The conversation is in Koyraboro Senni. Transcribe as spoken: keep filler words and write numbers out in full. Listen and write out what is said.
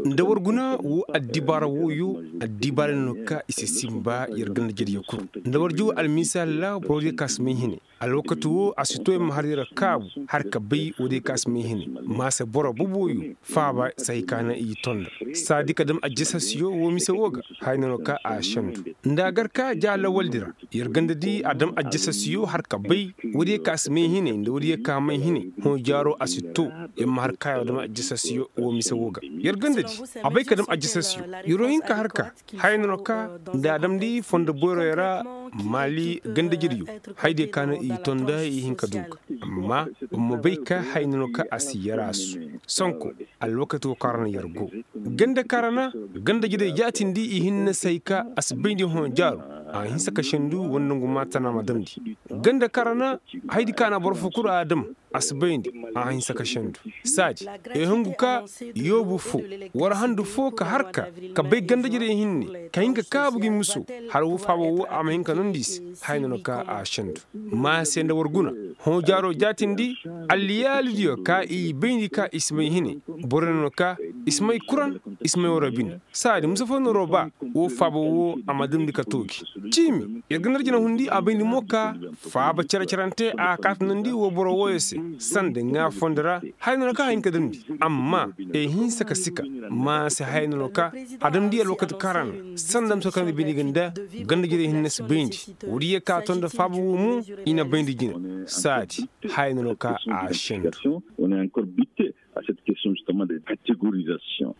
Nda war guna wo addibaara wooyo, addibaara no ka i si sinba yer ganda-jeryo kul. Nda war jaw almisaal ra boro diyo ka si may hine, alwakati wo a si to yer ma har yer kaabu har ka bay wo diyo ka si may hine. Maasa boro boboyo faaba si hay ka naŋ i tonda saadi ka dam ajjasasiyo wo mise wo ga. Haya no ka a sendu nda a gar ka ja lawaldi ra. Yer ganda di a dam ajjasasiyo har ka bay wo diyo ka si may hine nda wo diyo ka may hine. Hõ jaaro a si to yer ma har ka ya dam ajjasasiyo wo mise wo ga. Yer ganda di a bay ka dam ajjasasiyo. Yer wo hin ka har ka haya no ka nda a damndi fondo boyroyo ra. Maali ganda-jeryo, haya diyo ka no i tonda i hin ka du ga. Amma boro ma bay ka haya no ka a si yaraasu. Sonko alwakati wo kaŋ ra no yer go ganda kaŋ ra na ganda-jerey jaatindi i hinne si hay ka a si bayndi hõ jaaro. A hinsa ka sendu wala nangu maa tana ma damndi ganda kaŋ ra na haydi ka na boro fo kulu a dam. A si bayndi a hinsa ka sendu saadi. Ay hungu ka yoobu fo war handu fo ka har ka ka bay ganda-jerey hinne ka hin ka kaabu gi muso. Har wo faaba wo a ma hin ka nondi i se. Haya no ka a sendu maa se nda war guna hõ jaaro jaatindi. Alliyaalidiyo ka i bayndi ka i si may hine. Boro no ka i si may kuran i si may wara bine. Saadi musa fo noroo ba wo faaba wo a ma damndi ka toogi. Ciimi yer ga narjina hundi a bayndi mo ka faaba cere-cerante a kaata nondi wo boro wooyo se. Sanda ŋaa fondo ra haya no ka a hin ka damndi. Amma e hinsa ka sika maa se haya no ka a damndi alwakati kaŋ ra na sanda musa kaŋ na bayndi ga nda ganda-jerey hinne si bayndi. Woodiyo ka tonda faaba wo mo i na bayndi jina. Saadi haya no ka a sendu. On est encore buté à cette question justement de catégorisation.